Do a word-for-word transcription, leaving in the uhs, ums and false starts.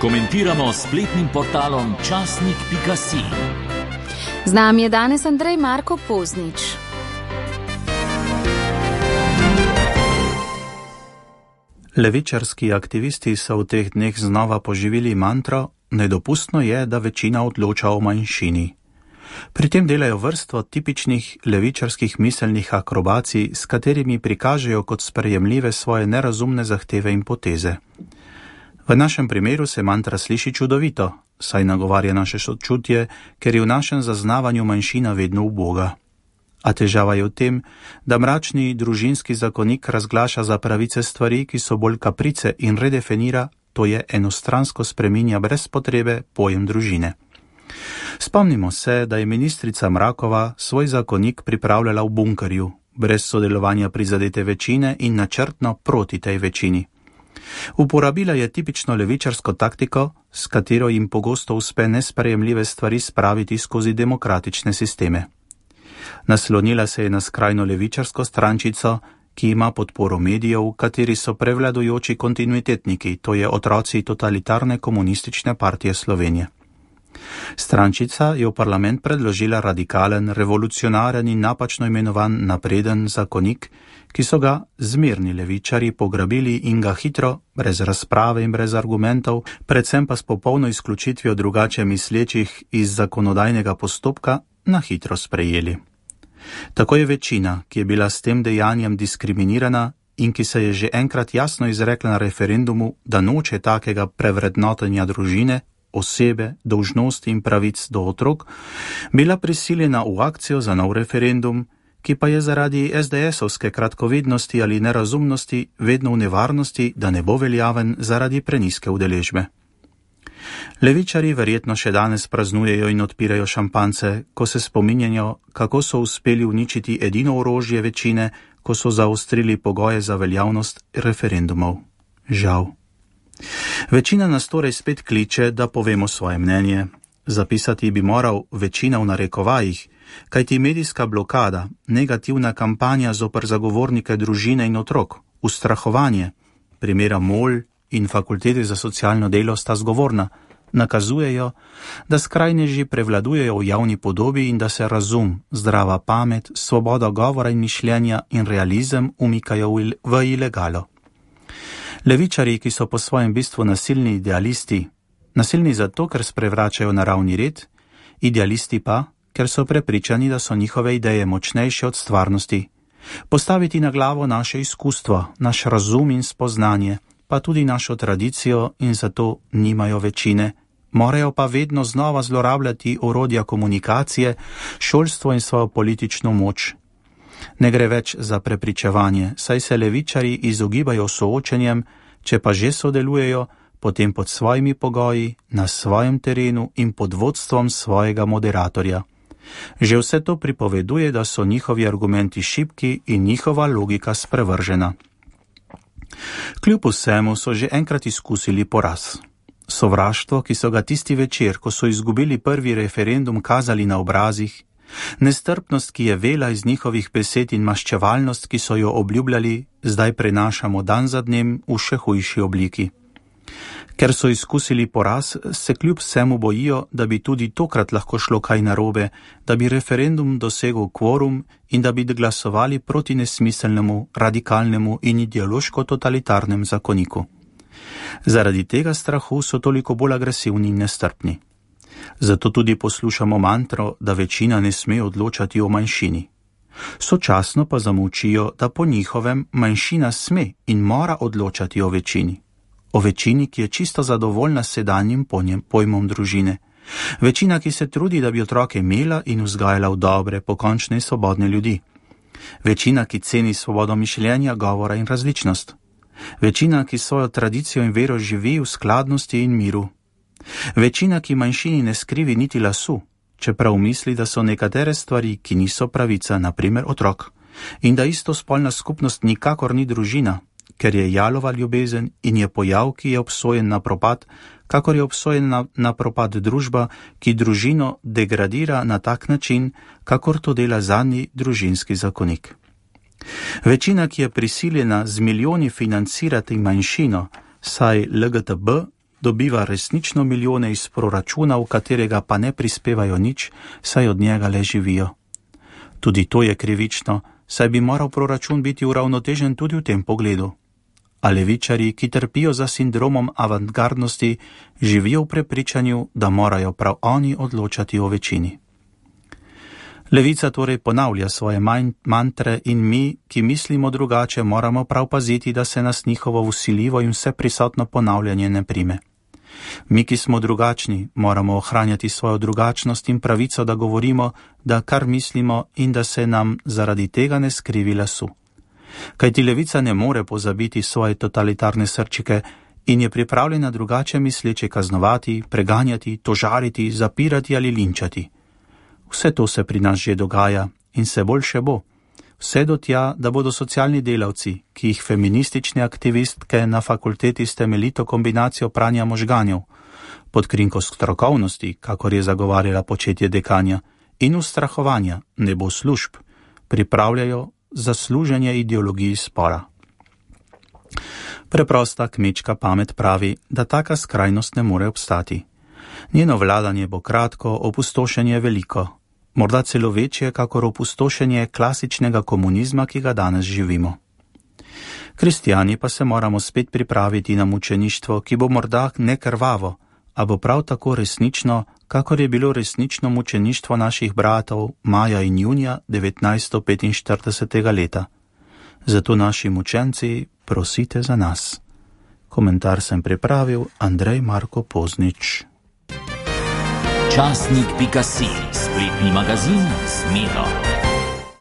Komentiramo s spletnim portalom časnik pika si. Z nami je danes Andrej Marko Poznič. Levičarski aktivisti so v teh dneh znova poživili mantro: nedopustno je, da večina odloča o manjšini. Pri tem delajo vrsto tipičnih levičarskih miselnih akrobacij, s katerimi prikažejo kot sprejemljive svoje nerazumne zahteve in poteze. V našem primeru se mantra sliši čudovito, saj nagovarja naše sočutje, ker je v našem zaznavanju manjšina vedno uboga. A težava je v tem, da mračni družinski zakonik razglaša za pravice stvari, ki so bolj kaprice, in redefinira, to je enostransko spreminja brez potrebe pojem družine. Spomnimo se, da je ministrica Mrakova svoj zakonik pripravljala v bunkerju, brez sodelovanja prizadete večine in načrtno proti tej večini. Uporabila je tipično levičarsko taktiko, s katero jim pogosto uspe nesprejemljive stvari spraviti skozi demokratične sisteme. Naslonila se je na skrajno levičarsko strančico, ki ima podporo medijev, kateri so prevladujoči kontinuitetniki, to je otroci totalitarne komunistične partije Slovenije. Strančica je v parlament predložila radikalen, revolucionaren in napačno imenovan napreden zakonik, ki so ga zmerni levičari pograbili in ga hitro, brez razprave in brez argumentov, predvsem pa s popolno izključitvijo drugače mislečih iz zakonodajnega postopka, na hitro sprejeli. Tako je večina, ki je bila s tem dejanjem diskriminirana in ki se je že enkrat jasno izrekla na referendumu, da noče takega prevrednotenja družine, osebe, dolžnosti in pravic do otrok, bila prisiljena v akcijo za nov referendum, ki pa je zaradi es de esovske kratkovidnosti ali nerazumnosti vedno v nevarnosti, da ne bo veljaven zaradi preniske udeležbe. Levičari verjetno še danes praznujejo in odpirajo šampance, ko se spominjajo, kako so uspeli uničiti edino orožje večine, ko so zaostrili pogoje za veljavnost referendumov. Žal. Večina nas torej spet kliče, da povemo svoje mnenje. Zapisati bi moral večina v narekovajih, kajti medijska blokada, negativna kampanja zoper zagovornike družine in otrok, ustrahovanje, primera MOL in Fakultete za socialno delo sta zgovorna, nakazujejo, da skrajneži prevladujejo v javni podobi in da se razum, zdrava pamet, svoboda govora in mišljenja in realizem umikajo v ilegalo. Levičari, ki so po svojem bistvu nasilni idealisti, nasilni zato, ker sprevračajo naravni red, idealisti pa, ker so prepričani, da so njihove ideje močnejše od stvarnosti, postaviti na glavo naše izkustvo, naš razum in spoznanje, pa tudi našo tradicijo in zato nimajo večine, morajo pa vedno znova zlorabljati orodja komunikacije, šolstvo in svojo politično moč. Ne gre več za prepričevanje, saj se levičari izogibajo soočenjem, če pa že sodelujejo, potem pod svojimi pogoji, na svojem terenu in pod vodstvom svojega moderatorja. Že vse to pripoveduje, da so njihovi argumenti šibki in njihova logika sprevržena. Kljub vsemu so že enkrat izkusili poraz. Sovraštvo, ki so ga tisti večer, ko so izgubili prvi referendum, kazali na obrazih, nestrpnost, ki je vela iz njihovih besed in maščevalnost, ki so jo obljubljali, zdaj prenašamo dan za dnem v še hujši obliki. Ker so izkusili poraz, se kljub vsemu bojijo, da bi tudi tokrat lahko šlo kaj narobe, da bi referendum dosegel kvorum in da bi glasovali proti nesmiselnemu, radikalnemu in ideološko totalitarnem zakoniku. Zaradi tega strahu so toliko bolj agresivni in nestrpni. Zato tudi poslušamo mantro, da večina ne sme odločati o manjšini. Sočasno pa zamolčijo, da po njihovem manjšina sme in mora odločati o večini. O večini, ki je čisto zadovoljna s sedanjim pojmom družine. Večina, ki se trudi, da bi otroke imela in vzgajala v dobre, pokončne in svobodne ljudi. Večina, ki ceni svobodo mišljenja, govora in različnost. Večina, ki svojo tradicijo in vero živi v skladnosti in miru. Večina, ki manjšini ne skrivi niti lasu, čeprav misli, da so nekatere stvari, ki niso pravica, naprimer otrok, in da istospolna skupnost nikakor ni družina, ker je jalova ljubezen in je pojav, ki je obsojen na propad, kakor je obsojen na, na propad družba, ki družino degradira na tak način, kakor to dela zadnji družinski zakonik. Večina, ki je prisiljena z milijoni financirati manjšino, saj el ge te be dobiva resnično milijone iz proračuna, v katerega pa ne prispevajo nič, saj od njega le živijo. Tudi to je krivično, saj bi moral proračun biti uravnotežen tudi v tem pogledu. A levičarji, ki trpijo za sindromom avantgardnosti, živijo v prepričanju, da morajo prav oni odločati o večini. Levica torej ponavlja svoje mantre in mi, ki mislimo drugače, moramo prav paziti, da se nas njihovo vsiljivo in vseprisotno ponavljanje ne prime. Mi, ki smo drugačni, moramo ohranjati svojo drugačnost in pravico, da govorimo, da kar mislimo in da se nam zaradi tega ne skrivi lasu. Kajti levica ne more pozabiti svoje totalitarne srčike in je pripravljena drugače misleče kaznovati, preganjati, tožariti, zapirati ali linčati. Vse to se pri nas že dogaja in se bolj še bo. Vse do tja, da bodo socialni delavci, ki jih feministične aktivistke na fakulteti s temeljito kombinacijo pranja možganjev, pod krinko strokovnosti, kakor je zagovarjala početje dekanja, in ustrahovanja, ne bo služb, pripravljajo za služenje ideologiji spora. Preprosta kmečka pamet pravi, da taka skrajnost ne more obstati. Njeno vladanje bo kratko, opustošenje veliko, morda celo večje, kakor opustošenje klasičnega komunizma, ki ga danes živimo. Kristijani pa se moramo spet pripraviti na mučeništvo, ki bo morda ne krvavo, a bo prav tako resnično, kakor je bilo resnično mučeništvo naših bratov maja in junija devetnajststo petinštiridesetega leta. Zato naši mučenci, prosite za nas. Komentar sem pripravil Andrej Marko Poznič. Časnik pika si, spletni magazin z Miro.